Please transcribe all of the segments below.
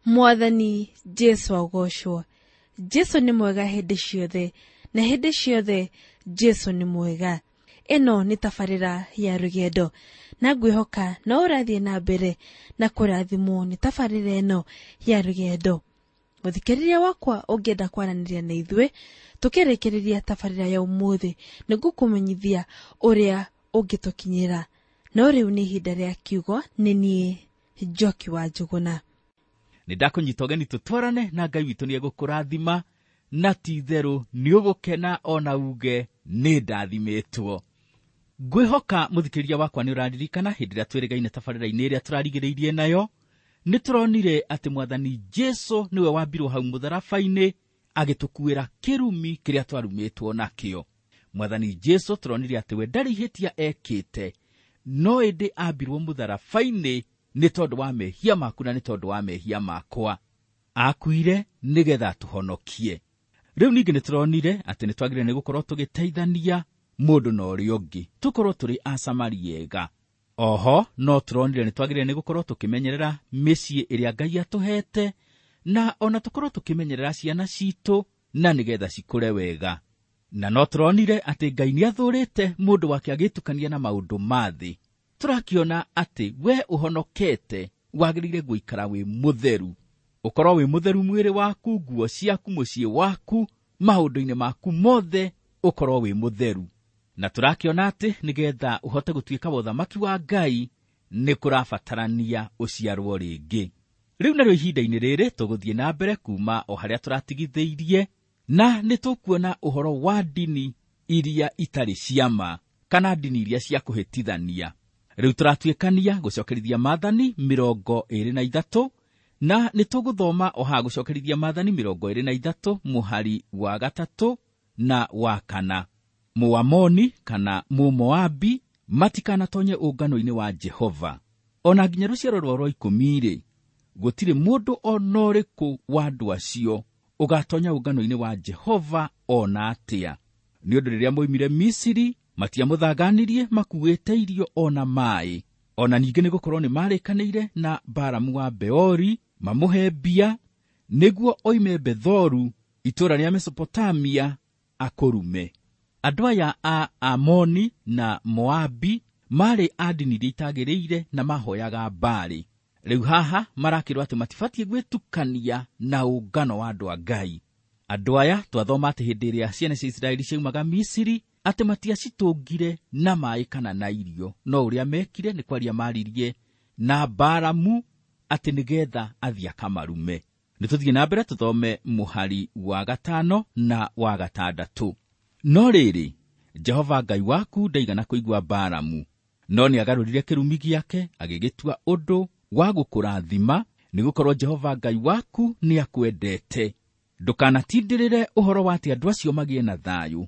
Mwathani Jesu agocwo. Jesu nĩ mwega hĩndĩ ciothe, na hĩndĩ ciothe Jesu nĩ mwega. Ĩno nĩ tabarĩra ya rũgendo, na ngwĩhoka no ũrathiĩ na mbere na kũrathimwo nĩ tabarĩra ĩno ya rũgendo. Mũthikĩrĩria wakwa, ũngĩenda kwaranĩria na ithuĩ tũkĩrĩkĩrĩria tabarĩra ya ũmũthĩ, nĩngũkũmenyithia ũrĩa ũngĩtũkinyĩra. No rĩu nĩ ihinda rĩa kiugo. Nĩ niĩ Njoki wa Njũgũna. Nĩ ndakũnyita ũgeni tũtwarane na Ngai witũ. Nĩ egũkũrathima na ti itherũ nĩ ũgũkena ona uge nĩ ndathimĩtwo. Ngwĩhoka, mũthikĩrĩria wakwa, nĩ ũraririkana hĩndĩ ĩrĩa twĩrĩgaine tabarĩra-inĩ ĩrĩa tũrarigĩrĩirie nayo, nĩ tũronire atĩ Mwathani Jesu nĩwe wambirwo hau mũtharaba-inĩ agĩtũkuĩra kĩrumi kĩrĩa twarumĩtwo nakĩo. Mwathani Jesu tũronire atĩ we ndarĩ ihĩtia ekĩte, no ĩndĩ ambirwo mũtharaba-inĩ nĩ tondũ wa mehia maku na nĩ tondũ wa mehia makwa. Akuire nĩgetha tũhonokie. Rĩu ningĩ nĩ tũronire atĩ nĩ twagĩrĩire nĩ gũkorwo tũgĩteithania mũndũ na ũrĩa ũngĩ, tũkorwo tũrĩ Asamaria ega. Oho no tũronire nĩ twagĩrĩire nĩ gũkorwo tũkĩmenyerera mĩciĩ ĩrĩa Ngai atũhete, na ona tũkorwo tũkĩmenyerera ciana citũ na nĩgetha cikũre wega. Na no tũronire atĩ Ngai nĩ athũrĩte mũndũ wake agĩtukania na maũndũ ma thĩ. Tũrakĩona atĩ we ũhonokete wagĩrĩire gũikara wĩ mũtheru, ũkorwo wĩ mũtheru mwĩrĩ waku, nguo ciaku, mũciĩ waku, maũndũ-inĩ maku mothe ũkorwo wĩ mũtheru. Na tũrakĩona atĩ nĩgetha ũhote gũtuĩka wa ũthamaki wa Ngai nĩ kũrabatarania ũciarwo rĩngĩ. Rĩu narĩo ihinda-inĩ rĩrĩ tũgũthiĩ na mbere kuma o harĩa tũratigithĩirie, na nĩ tũkuona ũhoro wa ndini iria itarĩ ciama kana ndini iria cia kũhĩtithania. Rĩu tũratuĩkania gũcokerithia Maathani 23, na nĩ tũgũthoma o haha gũcokerithia Maathani 23 mũhari wa 3 na wa 4. Mũamoni kana Mũmoabi matikanatonye ũngano-inĩ wa Jehova. Ona nginya rũciaro rwao rwa 10-rĩ, gũtirĩ mũndũ ona ũrĩkũ wa andũ acio ũgatonya ũngano-inĩ wa Jehova ona atĩa. Nĩ ũndũ rĩrĩa moimire Misiri matiamũthanganirie makuĩte irio ona maĩ. Ona ningĩ nĩ gũkorwo nĩ marĩkanĩire na Balamu wa Beori mamũhe mbia nĩguo oime Bethoru itũũra rĩa Mesopotamia akũrume. Andũ aya a Amoni na Moabi marĩ a ndini iria itagĩrĩire na mahoyaga Baali. Rĩu haha marakĩrwo atĩ matibatiĩ gwĩtukania na ũngano wa andũ a Ngai. Andũ aya twathoma atĩ hĩndĩ ĩrĩa ciana cia Isiraeli ciaumaga Misiri atĩ matiacitũngire na maĩ kana na irio, no ũrĩa mekire nĩ kwaria maririe na Balamu atĩ nĩgetha athiĩ akamarume. Nĩ tũthiĩ na mbere tũthome mũhari wa 5 na wa 6. No rĩrĩ, Jehova Ngai waku ndaigana kũigua Balamu, no nĩagarũrire kĩrumi gĩake agĩgĩtua ũndũ wa gũkũrathima, nĩgũkorwo Jehova Ngai waku nĩakwendete. Ndũkanatindĩrĩre ũhoro wa atĩ andũ acio magĩe na thayũ,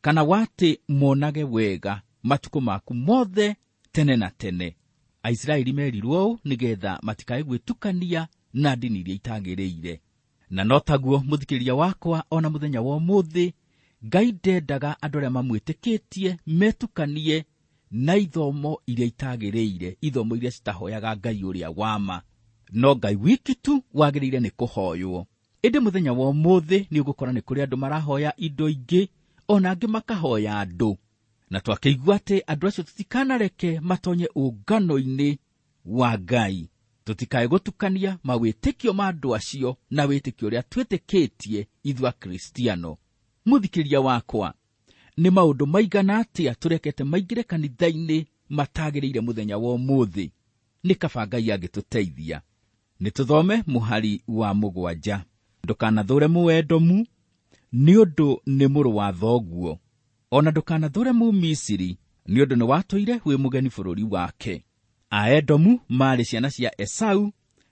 kana wa atĩ monage wega matukũ maku mothe tene na tene. Aisiraeli merirwo ũũ nĩgetha matikae gwĩtukania na ndini iria itagĩrĩire. Na no taguo, mũthikĩrĩria wakwa, ona mũthenya wa ũmũthĩ Ngai ndendaga andũ arĩa mamwĩtĩkĩtie metukanie na ithomo iria itagĩrĩire, ithomo iria citahoyaga Ngai ũrĩa wa ma. No Ngai wiki tu wagĩrĩire nĩ kũhoywo. Ĩndĩ mũthenya wa ũmũthĩ nĩ ũgũkora nĩ kũrĩ andũ marahoya indo ingĩ, ona angĩ makahoya andũ. Na twakĩigua atĩ andũ acio tũtikanareke matonye ũngano-inĩ wa Ngai. Tũtikae gũtukania mawĩtĩkio ma andũ acio na wĩtĩkio ũrĩa twĩtĩkĩtie ithuĩ Akristiano. Mũthikĩrĩria wakwa, nĩ maũndũ maigana atĩa tũrekete maingĩre kanitha-inĩ matagĩrĩire mũthenya wa ũmũthĩ? Nĩ kaba Ngai angĩtũteithia. Nĩ tũthome mũhari wa 7. Ndũkanathũre Mũedomu, nĩ ũndũ nĩ mũrũ wa thoguo. Ona ndũkanathũre Mũmisiri, nĩ ũndũ nĩ watũire wĩ mũgeni bũrũri wake. Aedomu maarĩ ciana cia Esau,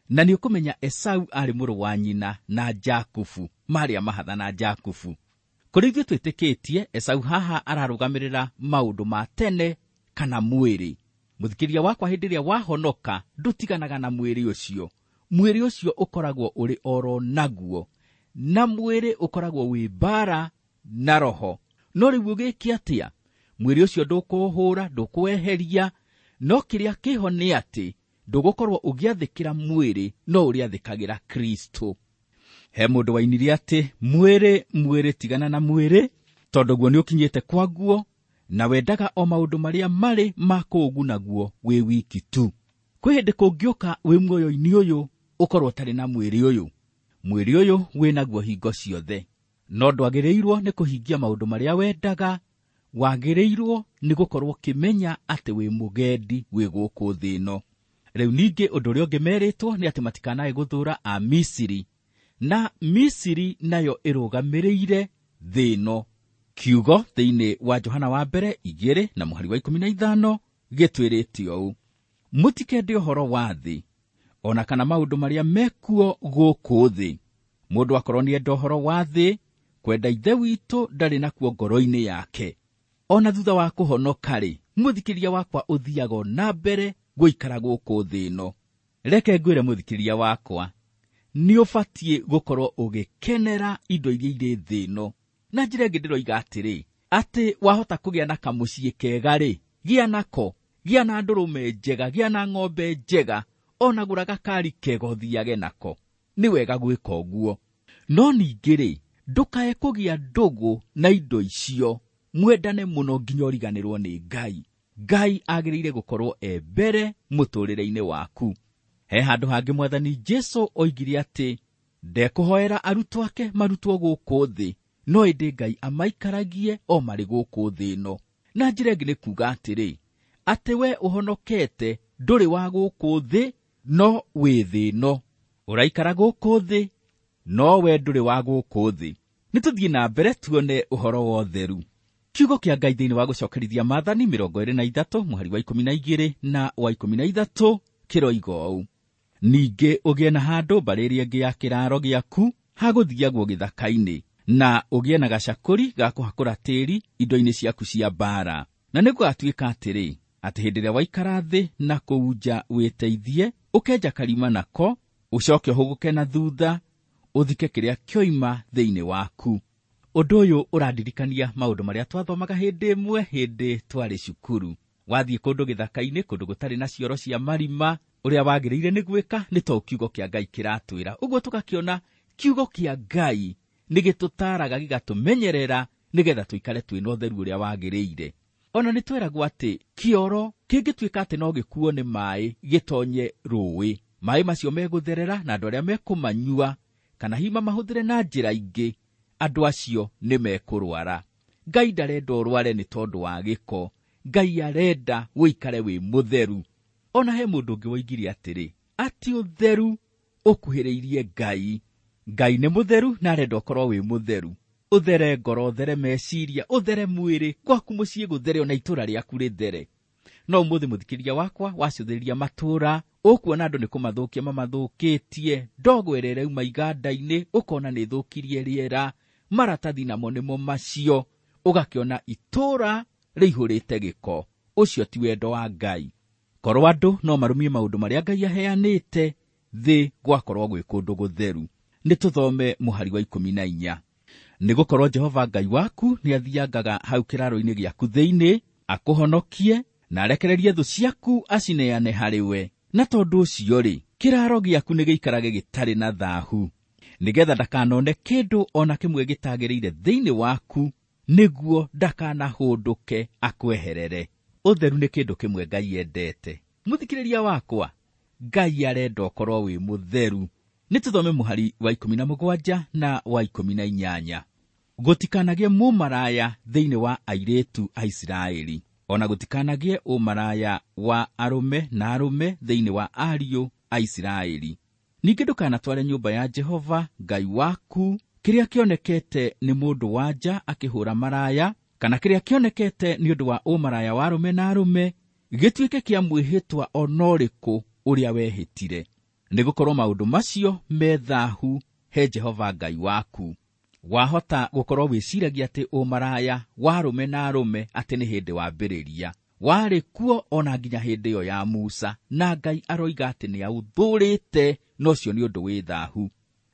na nĩ ũkũmenya Esau aarĩ mũrũ wa nyina na Jakubu, maarĩ a mahatha na Jakubu. Kũrĩ ithuĩ twĩtĩkĩtie, Esau haha ararũgamĩrĩra maũndũ ma tene kana mwĩrĩ. Mũthikĩrĩria wakwa, hĩndĩ ĩrĩa wahonoka ndũtiganaga na mwĩrĩ ũcio. Mwĩrĩ ũcio ũkoragwo ũrĩ oro naguo, na mwĩrĩ ũkoragwo wĩ mbara na roho. No rĩu ũgĩke atĩa? Mwĩrĩ ũcio ndũkũũhũra, ndũkũweheria, no kĩrĩa kĩho nĩ atĩ Ndũgũkorwo ũgĩathĩkĩra mwĩrĩ no ũrĩathĩkagĩra Kristo. He mũndũ wainire atĩ mwĩrĩ mwĩrĩ tigana na mwĩrĩ, tondũ guo nĩũkinyĩte kwaguo, na wendaga o maũndũ marĩa marĩ ma kũũgunaguo wĩ wiki tu. Kwĩ hĩndĩ kũngĩũka wĩ muoyo-inĩ ũyũ ũkorwo ũtarĩ na mwĩrĩ ũyũ. Mwĩrĩ ũyũ wĩ naguo hingo ciothe, no ndwagĩrĩirwo nĩ kũhingia maũndũ marĩa wendaga. Wagĩrĩirwo nĩ gũkorwo ũkĩmenya atĩ wĩ mũgendi wĩ gũkũ thĩ ĩno. Rĩu ningĩ ũndũ ũrĩa ũngĩ merĩtwo nĩ atĩ matikanae gũthũra a Misiri, na Misiri nayo ĩrũgamĩrĩire thĩ ĩno. Kiugo thĩinĩ wa Johana wa mbere 2 na mũhari wa 15 gĩtwĩrĩte ũũ: mũtikende ũhoro wa thĩ ona kana maũndũ marĩa mekuo gũkũ thĩ. Mũndũ akorwo nĩenda ũhoro wa thĩ, kwenda Ithe witũ ndarĩ nakuo ngoro-inĩ yake. Ona thutha wa kũhonoka-rĩ, mũthikĩria wakwa ũthiaga na mbere gũikara gũkũ thĩ ĩno. Reke ngwĩre mũthikĩria wakwa, nĩ ũbatiĩ gũkorwo ũgĩkenera indo iria irĩ thĩ ĩno. Na njĩra ĩngĩ ndĩroiga atĩrĩ, atĩ wahota kũgĩa na kamũciĩ kega-rĩ, gĩa nako, gĩa na ndũrũme njega, gĩa na ng'ombe njega, ona gũra gakari kega ũthiage nako. Nĩ wega gwĩka ũguo. No ningĩ-rĩ, ndũkae kũgĩa ndũgũ na indo icio, mwendane mũno nginya ũriganĩrwo nĩ Ngai. Ngai agĩrĩire gũkorwo e mbere mũtũrĩre-inĩ waku. He handũ hangĩ Mwathani Jesũ oigire atĩ ndekũhoera arutwo ake marutwo gũkũ thĩ, no ĩndĩ Ngai amaikaragie o marĩ gũkũ thĩ ĩno. Na njĩra ĩngĩ nĩ kuuga atĩrĩ, atĩ we ũhonokete ndũrĩ wa gũkũ thĩ, no wĩ thĩ ĩno. Ũraikara gũkũ thĩ, no we ndũrĩ wa gũkũ thĩ. Nĩ tũthiĩ na mbere tuone ũhoro wa ũtheru. Kiugo kĩa Ngai thĩinĩ wa gũcokerithia Maathani 23 mũhari wa 12 na wa 13 kĩroiga ũũ: ningĩ ũgĩe na handũ mbarĩ ĩrĩa ĩngĩ ya kĩraro gĩaku hagũthiagwo gĩthaka-inĩ, na ũgĩe na gacakũri ga kũhakũra tĩĩri indo-inĩ ciaku cia mbaara. Na nĩgũgatuĩka atĩrĩ, atĩ hĩndĩ ĩrĩa waikara thĩ na kũu nja wĩteithie, ũkenja karima nako, ũcoke ũhũgũke na thutha, ũthike kĩrĩa kĩoima thĩinĩ waku. Ũndũ ũyũ ũrandirikania maũndũ marĩa twathomaga hĩndĩ ĩmwe hĩndĩ twarĩ cukuru. Wathiĩ kũndũ gĩthaka-inĩ, kũndũ gũtarĩ na cioro cia marima, ũrĩa wagĩrĩire nĩ gwĩka nĩ to kiugo kĩa Ngai kĩratwĩra. Ũguo tũgakĩona kiugo kĩa Ngai nĩ gĩtũtaaraga gĩgatũmenyerera nĩgetha tũikare twĩna ũtheru ũrĩa wagĩrĩire. Ona nĩ tweragwo atĩ kĩoro kĩngĩtuĩka atĩ no gĩkuo nĩ maĩ gĩtonye rũĩ, maĩ macio megũtherera na andũ arĩa mekũmanyua kana hihi mamahũthĩre na njĩra ingĩ, andũ acio nĩ mekũrwara. Ngai ndarenda ũrware nĩ tondũ wa gĩko. Ngai arenda ũikare wĩ mũtheru. Ona he mũndũ ũngĩ woigire atĩrĩ, atĩ ũtheru ũkuhĩrĩirie Ngai. Ngai nĩ mũtheru na arenda ũkorwo wĩ mũtheru. Ũthere ngoro, ũthere meciria, ũthere mwĩrĩ, gwaku mũciĩ gũthere, ona itũũra rĩaku rĩthere. No ũmũthĩ mũthikĩria wakwa wacũthĩrĩria matũũra, ũkuona andũ nĩ kũmathũkia mamathũkĩtie, ndogo ĩrĩa ĩrauma iganda-inĩ ũkona nĩ ĩthũkirie rĩera, maratathi namo nĩmo macio, ũgakĩona itũũra rĩihũrĩte gĩko. Ũcio ti wendo wa Ngai. Korwo andũ no marũmie maũndũ marĩa Ngai aheanĩte, thĩ gwakorwo gwĩ kũndũ gũtheru. Nĩ tũthome mũhari wa 14. Nĩgũkorwo Jehova Ngai waku nĩathiangaga hau kĩraro-inĩ gĩaku thĩinĩ, akũhonokie na arekererie thũ ciaku acineane harĩ we. Na tondũ ũcio-rĩ, kĩraro gĩaku nĩgĩikarage gĩtarĩ na thaahu, nĩgetha ndakanone kĩndũ ona kĩmwe gĩtagĩrĩire thĩinĩ waku, nĩguo ndakanahũndũke akweherere. Ũtheru nĩ kĩndũ kĩmwe Ngai endete. Mũthikĩrĩria wakwa, Ngai arenda ũkorwo wĩ mũtheru. Nĩ tũthome mũhari wa 17 na wa 18. Gũtikanagĩe mũmaraya thĩinĩ wa airĩtu a Isiraeli, ona gũtikanagĩe ũmaraya wa arũme na arũme thĩinĩ wa ariũ a Isiraeli. Ningĩ ndũkanatware nyũmba ya Jehova Ngai waku kĩrĩa kĩonekete nĩ mũndũ wa nja akĩhũra maraya, kana kĩrĩa kĩonekete nĩ ũndũ wa ũmaraya wa arũme na arũme, gĩtuĩke kĩa mwĩhĩtwa ona ũrĩkũ ũrĩa wehĩtire. Nĩgũkorwo maũndũ macio me thaahu he Jehova Ngai waku. Wahota gũkorwo wĩciragia atĩ ũmaraya wa arũme na arũme atĩ nĩ hĩndĩ wambĩrĩria, warĩ kuo ona nginya hĩndĩ ĩyo ya Musa, na Ngai aroiga atĩ nĩaũthũrĩte, na ũcio nĩ ũndũ wĩ thaahu.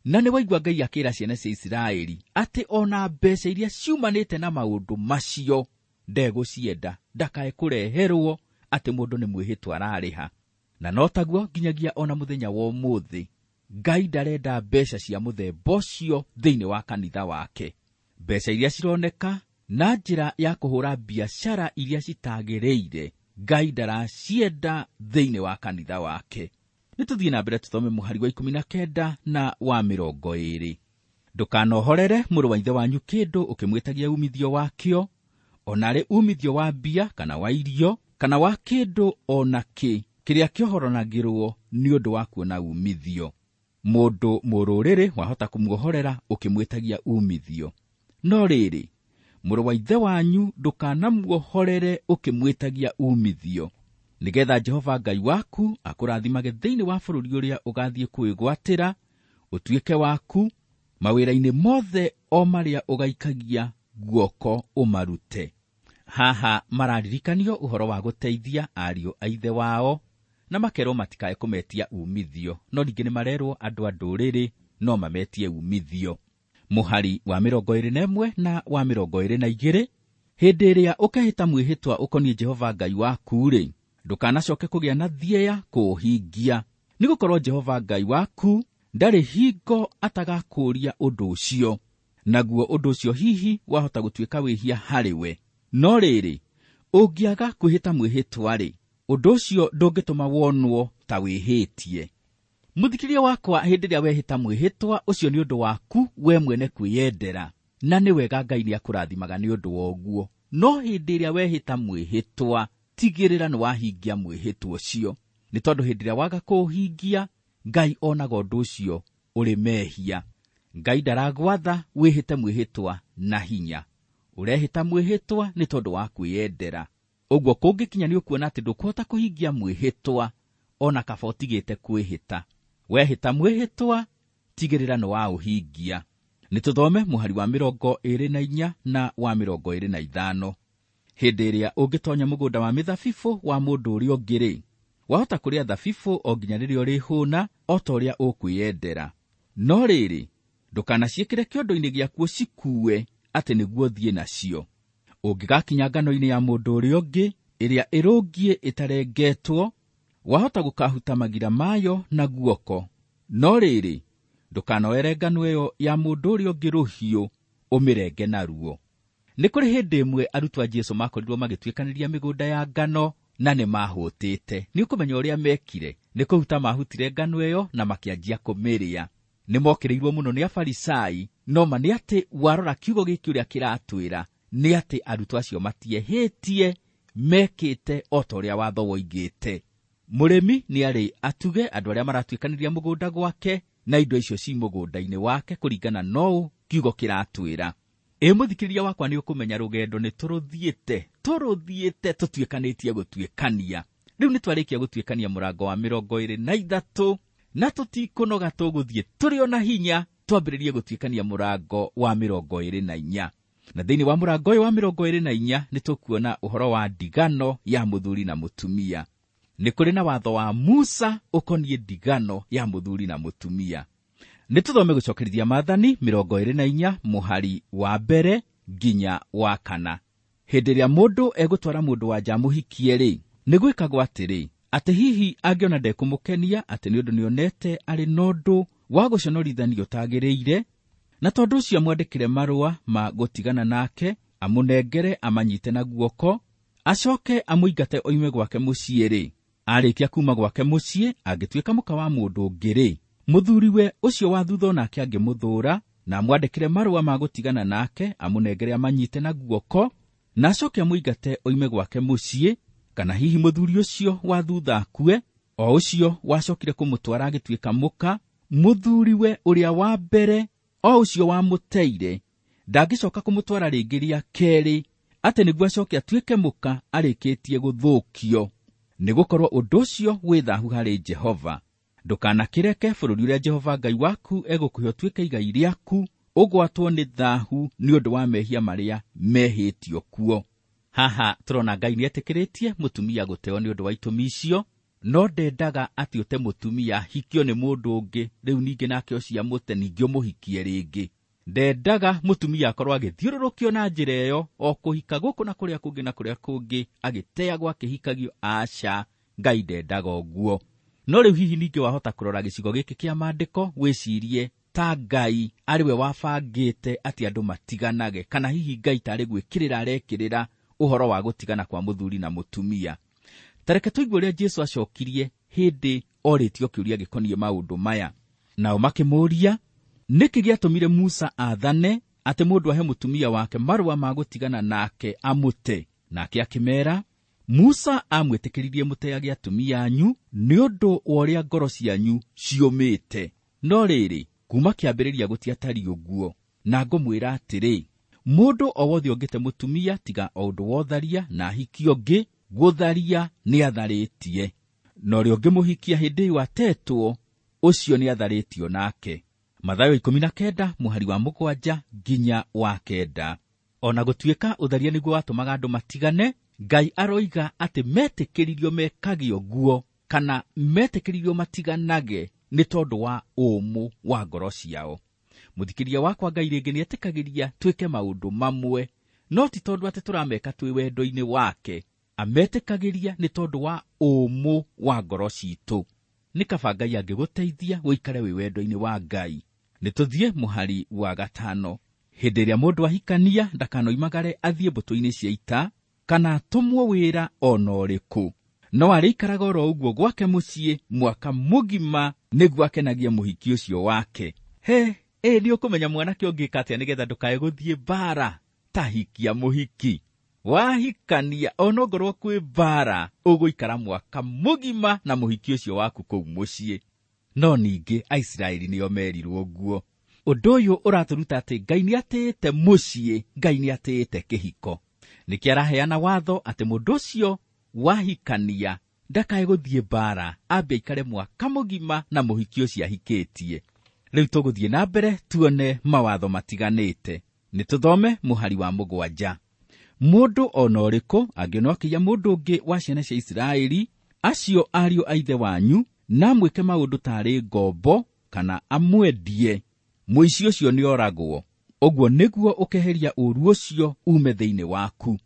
Na nĩ waigua Ngai akĩra ciana cia Isiraeli atĩ ona mbeca iria ciumanĩte na maũndũ macio ndegũcienda, ndakae kũreherwo atĩ mũndũ nĩ mwĩhĩtwa ararĩha. Na no taguo nginyagia ona mũthenya wa ũmũthĩ, Ngai ndarenda mbeca cia mũthemba ũcio thĩinĩ wa kanitha wake. Mbeca iria cironeka na njĩra ya kũhũra biacara iria citagĩrĩire, Ngai ndaracienda thĩinĩ wa kanitha wake. Nĩ tũthiĩ na mbere tũthome mũhari wa 19 na wa 20. Ndũkanohorere mũrũ wa ithe wanyu kĩndũ ũkĩmwĩtagia umithio wakĩo, ona arĩ umithio wa mbia kana wa irio kana wa kĩndũ o na kĩ kĩrĩa kĩohoranagĩrwo nĩ ũndũ wa kuona umithio. Mũndũ mũrũrĩrĩ wahota kũmuohorera ũkĩmwĩtagia umithio, no rĩrĩ, mũrũ wa ithe wanyu ndũkanamuohorere ũkĩmwĩtagia umithio, nĩgetha Jehova Ngai waku akũrathimage thĩinĩ wa bũrũri ũrĩa ũgathiĩ kwĩgwatĩra ũtuĩke waku, mawĩra-inĩ mothe o marĩa ũgaikagia guoko ũmarute. Haha mararirikanio ũhoro wa gũteithia ariũ a ithe wao, na makerwo matikae kũmetia umithio, no ningĩ nĩmarerwo andũ a ndũrĩrĩ no mametie umithio. Mũhari wa 21 na wa 22, hĩndĩ ĩrĩa ũkehĩta mwĩhĩtwa ũkoniĩ Jehova Ngai waku-rĩ, ndũkanacoke kũgĩa na thieya kũũhingia, nĩgũkorwo Jehova Ngai waku ndarĩ hingo atagakũũria ũndũ ũcio, naguo ũndũ ũcio hihi wahota gũtuĩka wĩhia harĩ we. No rĩrĩ, ũngĩaga kwĩhĩta mwĩhĩtwa-rĩ, ũndũ ũcio ndũngĩtũma wonwo ta wĩhĩtie. Mũthikĩria wakwa, hĩndĩ ĩrĩa wehĩta mwĩhĩtwa ũcio nĩ ũndũ waku we mwene kwĩyendera, na nĩ wega Ngai nĩakũrathimaga nĩ ũndũ wa ũguo. No hĩndĩ ĩrĩa wehĩta mwĩhĩtwa, tigĩrĩra nĩ wahingia mwĩhĩtwa ũcio, nĩ tondũ hĩndĩ ĩrĩa waga kũũhingia, Ngai onaga ũndũ ũcio ũrĩ mehia. Ngai ndaragwatha wĩhĩte mwĩhĩtwa na hinya, ũrehĩta mwĩhĩtwa nĩ tondũ wa kwĩyendera. Ũguo kũngĩkinya nĩ ũkuona atĩ ndũkũhota kũhingia mwĩhĩtwa, ona kaba ũtigĩte kwĩhĩta. Wehĩta mwĩhĩtwa, tigĩrĩra nĩ waũhingia. Nĩ tũthome mũhari wa 24 na wa 25. Hĩndĩ ĩrĩa ũngĩtonya mũgũnda wa mĩthabibũ wa mũndũ ũrĩa ũngĩ-rĩ, wahota kũrĩa thabibũ o nginya rĩrĩa ũrĩhũna, o ta ũrĩa ũkwĩyendera. No rĩrĩ, ndũkanaciĩkĩre kĩondo-inĩ gĩaku ũcikuue atĩ nĩguo ũthiĩ nacio. Ũngĩgakinya ngano-inĩ ya mũndũ ũrĩa ũngĩ ĩrĩa ĩrũngiĩ ĩtarengetwo, wahota gũkahuta magira mayo na guoko. No rĩrĩ, ndũkanoere ngano ĩyo ya mũndũ ũrĩa ũngĩ rũhiũ ũmĩrenge naruo. Nĩ kũrĩ hĩndĩ ĩmwe arutwo a Jesũ makorirwo magĩtuĩkanĩria mĩgũnda ya ngano na nĩ mahũtĩte. Nĩ ũkũmenya ũrĩa mekire, nĩ kũhuta mahutire ngano ĩyo na makĩanjia kũmĩrĩa. Nĩ mokĩrĩirwo mũno nĩ Afarisai, no ma nĩ atĩ warora kiugo gĩkĩ ũrĩa kĩratwĩra, nĩ atĩ arutwo acio matiehĩtie, mekĩte o ta ũrĩa watho woigĩte. Mũrĩmi nĩ arĩ atuge andũ arĩa maratuĩkanĩria mũgũnda gwake na indo icio ci mũgũnda-inĩ wake kũringana na ũũ kiugo kĩratwĩra. Ĩ mũthikĩrĩria wakwa, nĩ ũkũmenya rũgendo nĩ tũrũthiĩte tũtuĩkanĩtie gũtuĩkania. Rĩu nĩ twarĩkia gũtuĩkania mũrango wa 23 na tũtikũnoga, tũgũthiĩ tũrĩ o na hinya twambĩrĩrie gũtuĩkania mũrango wa 24. Na thĩinĩ wa mũrango ũyũ wa 24 nĩ tũkuona ũhoro wa ndigano ya mũthuri na mũtumia. Nĩ kũrĩ na watho wa Musa ũkoniĩ ndigano ya mũthuri na mũtumia. Nĩ tũthome gũcokerithia Maathani 24 mũhari wa 1 nginya wa 4. Hĩndĩ ĩrĩa mũndũ egũtwara mũndũ wa nja amũhikie-rĩ, nĩ gwĩkagwo atĩrĩ, atĩ hihi angĩona ndekũmũkenia, atĩ nĩ ũndũ nĩonete arĩ na ũndũ wa gũconorithania ũtagĩrĩire, na tondũ ũcio amwandĩkĩre marũa ma gũtigana nake, amũnengere amanyite na guoko, acoke amũingate oime gwake mũciĩ-rĩ, arĩkia kuma gwake mũciĩ angĩtuĩka mũka wa mũndũ ũngĩ-rĩ, mũthuriwe ũcio wa thutha onake angĩmũthũũra na amwandĩkĩre marũa ma gũtigana nake, amũnengere amanyite na guoko, na acoke amũingate oime gwake mũciĩ, kana hihi mũthuri ũcio wa thutha akue, o ũcio wacokire kũmũtwara agĩtuĩka mũka, mũthuriwe ũrĩa wa mbere o ũcio wamũteire ndangĩcoka kũmũtwara rĩngĩ rĩa kerĩ, atĩ nĩguo acoke atuĩke mũka arĩkĩtie gũthũkio, nĩgũkorwo ũndũ ũcio wĩ thaahu harĩ Jehova. Ndũkanakĩreke bũrũri ũrĩa Jehova Ngai waku egũkũhe ũtuĩke igai rĩaku ũgwatwo nĩ thaahu nĩ ũndũ wa mehia marĩa mehĩtio kuo. Haha tũrona Ngai nĩetĩkĩrĩtie mũtumia gũteo nĩ ũndũ wa itũmi icio, no ndendaga atĩ ũte mũtumia ahikio nĩ mũndũ ũngĩ, rĩu ningĩ nake ũcio amũte ningĩ ũmũhikie rĩngĩ. Ndendaga mũtumia akorwo agĩthiũrũrũkio na njĩra ĩyo, o kũhika gũkũ na kũrĩa kũngĩ na kũrĩa kũngĩ, agĩteagwo akĩhikagio. Aca, Ngai ndendaga ũguo. No rĩu hihi ningĩ wahota kũrora gĩcigo gĩkĩ kĩa maandĩko wĩcirie ta Ngai arĩ we wabangĩte atĩ andũ matiganage, kana hihi Ngai tarĩ gwĩkĩrĩra arekĩrĩra ũhoro wa gũtigana kwa mũthuri na mũtumia. Ta reke tũigue ũrĩa Jesũ acokirie hĩndĩ orĩtio kĩũria gĩkoniĩ maũndũ maya. Nao makĩmũũria, nĩkĩ gĩatũmire Musa aathane atĩ mũndũ ahe mũtumia wake marũa ma gũtigana nake amũte? Nake akĩmeera, Musa amwĩtĩkĩririe mũteage atumia anyu nĩ ũndũ wa ũrĩa ngoro cianyu ciũmĩte. No rĩrĩ, kuma kĩambĩrĩria gũtiatariĩ ũguo. Na ngũmwĩra atĩrĩ, mũndũ o wothe ũngĩte mũtumia tiga o ũndũ wa ũtharia na ahikie ũngĩ, gũtharia nĩatharĩtie. Na ũrĩa ũngĩmũhikia hĩndĩ ĩyo atetwo, ũcio nĩatharĩtio nake. Mathayo 19 mũhari wa 7 nginya wa 9. Ona gũtuĩka ũtharia nĩguo watũmaga andũ matigane, Ngai aroiga atĩ metĩkĩririo mekage ũguo kana metĩkĩririo matiganage nĩ tondũ wa ũmũ wa ngoro ciao. Mũthikĩria wakwa, Ngai rĩngĩ nĩetĩkagĩria twĩke maũndũ mamwe, no ti tondũ atĩ tũrameka twĩ wendo-inĩ wake. Ametĩkagĩria nĩ tondũ wa ũmũ wa ngoro citũ. Nĩ kaba Ngai angĩgũteithia ũikare wĩ wendo-inĩ wa Ngai. Nĩ tũthiĩ mũhari wa 5. Hĩndĩ ĩrĩa mũndũ ahikania ndakanoimagare athiĩ mbũtũ-inĩ cia ita kana atũmwo wĩra ona ũrĩkũ, no arĩikaraga oro ũguo gwake mũciĩ mwaka mũgima nĩguo akenagie mũhiki ũcio wake. He, ĩ nĩ ũkũmenya mwanake ũngĩka atĩa nĩgetha ndũkae gũthiĩ mbara? Ta hikia mũhiki. Wahikania onongorwo kwĩ mbara, ũgũikara mwaka mũgima na mũhiki ũcio waku kũu mũciĩ. No ningĩ Aisiraeli nĩo merirwo ũguo. Ũndũ ũyũ ũratũruta atĩ Ngai nĩatĩĩte mũciĩ, Ngai nĩatĩĩte kĩhiko. Nĩkĩo araheana watho atĩ mũndũ ũcio wahikania ndakae gũthiĩ mbara, ambe aikare mwaka mũgima na mũhiki ũcio ahikĩtie. Rĩu tũgũthiĩ na mbere tuone mawatho matiganĩte. Nĩ tũthome mũhari wa 7. Mũndũ ona ũrĩkũ angĩona akĩiya mũndũ ũngĩ wa ciana cia Isiraeli, acio ariũ a ithe wanyu, na amwĩke maũndũ tarĩ ngombo kana amwendie, mũici ũcio nĩoragwo. Ũguo nĩguo ũkeheria ũũru ũcio ume thĩinĩ waku.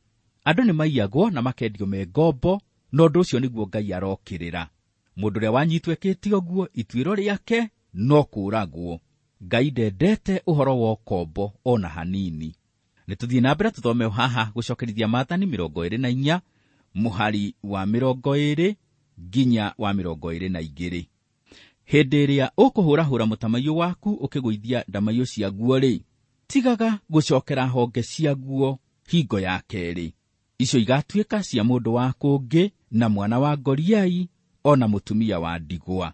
Andũ nĩmaiyagwo na makendio me ngombo, na ũndũ ũcio nĩguo Ngai arokĩrĩra. Mũndũ ũrĩa wanyitwo ekĩte ũguo, ituĩro rĩake no kũũragwo. Ngai ndendete ũhoro wa ũkombo ona hanini. Nĩ tũthiĩ na mbere tũthome haha gũcokerithia Maathani 24 mũhari wa 20 nginya wa 22. Hĩndĩ ĩrĩa ũkũhũrahũra mũtamaiyũ waku ũkĩgũithia ndamaiyũ ciaguo-rĩ, tigaga gũcokera honge ciaguo hingo ya kerĩ. Icio igatuĩka cia mũndũ wa kũngĩ na mwana wa ngoriai ona mũtumia wa ndigwa.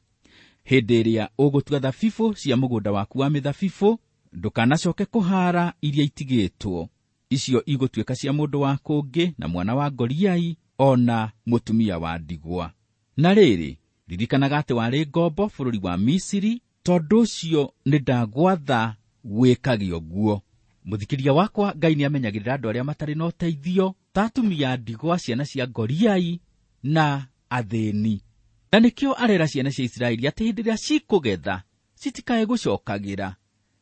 Hĩndĩ ĩrĩa ũgũtua thabibũ cia mũgũnda waku wa mĩthabibũ, ndũkanacoke kũhaara iria itigĩtwo. Icio igũtuĩka cia mũndũ wa kũngĩ na mwana wa ngoriai ona mũtumia wa ndigwa. Na rĩrĩ, ririkanaga atĩ warĩ ngombo bũrũri wa Misiri, tondũ ũcio nĩndagwatha wĩkage ũguo. Mũthikĩria wakwa, Ngai nĩamenyagĩrĩra andũ arĩa matarĩ na ũteithio, ta atumia ndigwa, ciana cia ngoriai na athĩni. Na nĩkĩo arera ciana cia Isiraeli atĩ hĩndĩ ĩrĩa cikũgetha citikae gũcokagĩra,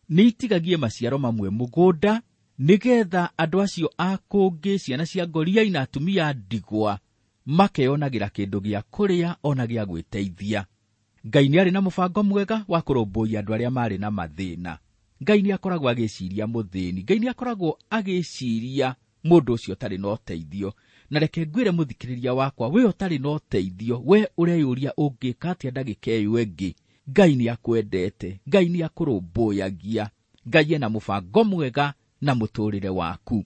nĩitigagie maciaro mamwe mũgũnda, nĩgetha andũ acio a kũngĩ, ciana cia ngoriai na atumia ndigwa, makeyonagĩra kĩndũ gĩa kũrĩa ona gĩa gwĩteithia. Ngai nĩarĩ na mũbango mwega wa kũrũmbũiya andũ arĩa marĩ na mathĩna. Ngai nĩakoragwo agĩciria mũthĩni, Ngai nĩakoragwo agĩciria mũndũ ũcio ũtarĩ na ũteithio. Na reke ngwĩre mũthikĩrĩria wakwa, we ũtarĩ na ũteithio, we ũreyũria ũngĩka atĩa ndagĩka ĩyo ĩngĩ, Ngai nĩakwendete, Ngai nĩakũrũmbũyagia, Ngai ena mũbango mwega na mũtũrĩre waku.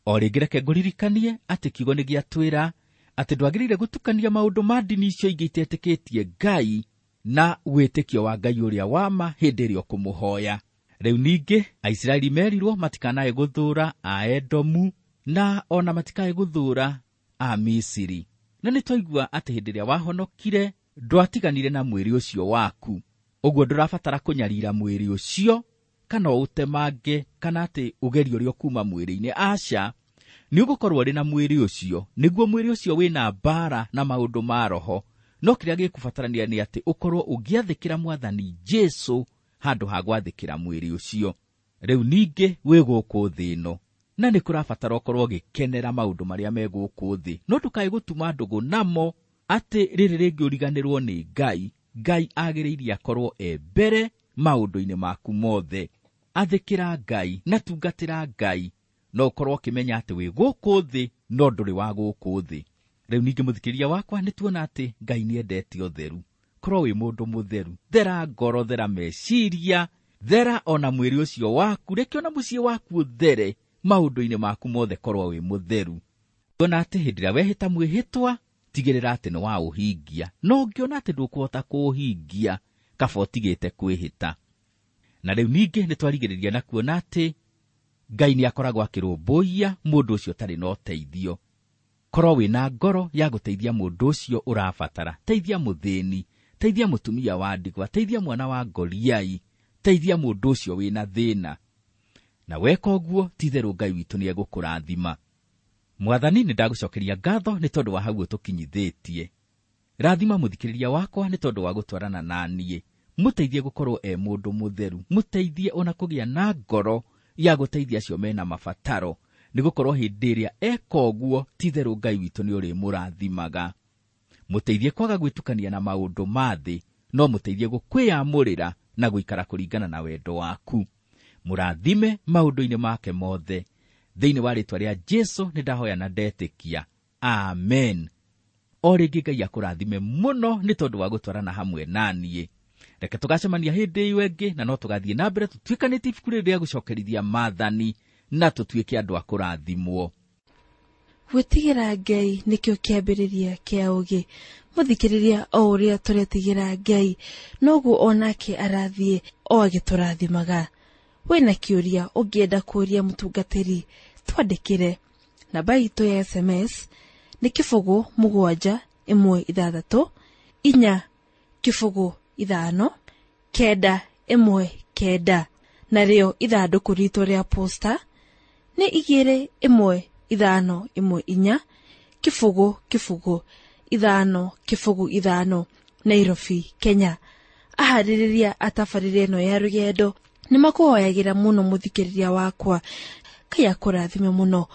O rĩngĩ reke ngũririkanie atĩ kiugo nĩgĩatwĩra atĩ ndwagĩrĩire gũtukania maũndũ ma ndini icio ingĩ itetĩkĩtie Ngai na wĩtĩkio wa Ngai ũrĩa wa ma hĩndĩ ĩrĩa ũkũmũhoya. Rĩu ningĩ Aisiraeli merirwo matikanae gũthũũra Aedomu na ona matikae gũthũũra Amisiri. Na nĩtwaigua atĩ hĩndĩ ĩrĩa wahonokire ndwatiganire na mwĩrĩ ũcio waku. Ũguo ndũrabatara kũnyarira mwĩrĩ ũcio kana ũũtemange kana atĩ ũgerie ũrĩa ũkuuma mwĩrĩ-inĩ. Aca, nĩ ũgũkorwo ũrĩ na mwĩrĩ ũcio, nĩguo mwĩrĩ ũcio wĩna mbara na maũndũ ma roho. No kĩrĩa gĩkũbatarania nĩ atĩ ũkorwo ũgĩathĩkĩra Mwathani Jesũ handũ ha gwathĩkĩra mwĩrĩ ũcio. Rĩu ningĩ wĩ gũkũ thĩ ĩno, na nĩ kũrabatara ũkorwo ũgĩkenera maũndũ marĩa me gũkũ thĩ, no ndũkae gũtuma ndũgũ namo atĩ rĩrĩ rĩngĩ ũriganĩrwo nĩ Ngai, Ngai agĩrĩire akorwo e mbere maũndũ-inĩ maku mothe. Athĩkĩra Ngai na tungatĩra Ngai, no ũkorwo ũkĩmenya atĩ wĩ gũkũ thĩ no ndũrĩ wa gũkũ thĩ. Rĩu ningĩ mũthikĩrĩria wakwa, nĩ tuona atĩ Ngai nĩ endete ũtheru. Korwo wĩ mũndũ mũtheru, thera ngoro, thera meciria, thera ona mwĩrĩ ũcio waku, reke ona mũciĩ waku ũthere, maũndũ-inĩ maku mothe korwo wĩ mũtheru. Tuona atĩ hĩndĩ ĩrĩa wehĩta mwĩhĩtwa, tigĩrĩra atĩ nĩ waũhingia, no ũngĩona atĩ ndũkũhota kũũhingia, kaba ũtigĩte kwĩhĩta. Na rĩu ningĩ nĩ twarigĩrĩria na kuona atĩ Ngai nĩ akoragwo akĩrũmbũiya mũndũ ũcio ũtarĩ na ũteithio. Korwo wĩna ngoro ya gũteithia mũndũ ũcio ũrabatara, teithia mũthĩni, teithia mũtumia wa ndigwa, teithia mwana wa ngoriai, teithia mũndũ ũcio wĩna thĩna. Na weka ũguo, ti-itherũ Ngai witũ nĩ egũkũrathima. Mwathani, nĩ ndagũcokeria ngatho nĩ tondũ wa hau ũtũkinyithĩtie. Rathima mũthikĩrĩria wakwa nĩ tondũ wa gũtwarana na niĩ. Mũteithie gũkorwo e mũndũ mũtheru, mũteithie ona kũgĩa na ngoro ya gũteithia acio mena mabataro, nĩ gũkorwo hĩndĩ ĩrĩa eka ũguo, ti-itherũ Ngai witũ nĩ ũrĩmũrathimaga. Mũteithie kwaga gwĩtukania na maũndũ ma thĩ, no mũteithie gũkwĩyamũrĩra na gũikara kũringana na wendo waku. Mũrathime maũndũ-inĩ make mothe. Thĩinĩ wa rĩĩtwa rĩa Jesu nĩ ndahoya na ndetĩkia. Amen. O rĩngĩ Ngai akũrathime mũno nĩ tondũ wa gũtwarana hamwe na niĩ. Reke tũgacemania hĩndĩ ĩyo ĩngĩ, na no tũgathiĩ na mbere tũtuĩkanĩtie ibuku rĩrĩ rĩa gũcokerithia maathani na tũtuĩke andũ a kũrathimwo. Gwĩtigĩra Ngai nĩkĩo kĩambĩrĩria kĩa ũũgĩ. Mũthikĩrĩria, o ũrĩa tũretigĩra Ngai, noguo onake arathiĩ o agĩtũrathimaga. Wĩna kĩũria ũngĩenda kũũria mũtungatĩri, twandĩkĩre. Namba itũ ya SMS nĩ 0 7 1 6 4 0 5 9 1 9, narĩo ithandũkũ ritũ rĩa posta nĩ 2 1 5 1 4 0 0 5 0 5, Nairobi, Kenya. Aharĩrĩria a tabarĩra ĩno ya rũgendo nĩ makũhoyagĩra mũno mũthikĩrĩria wakwa. Ngai akũrathime mũno.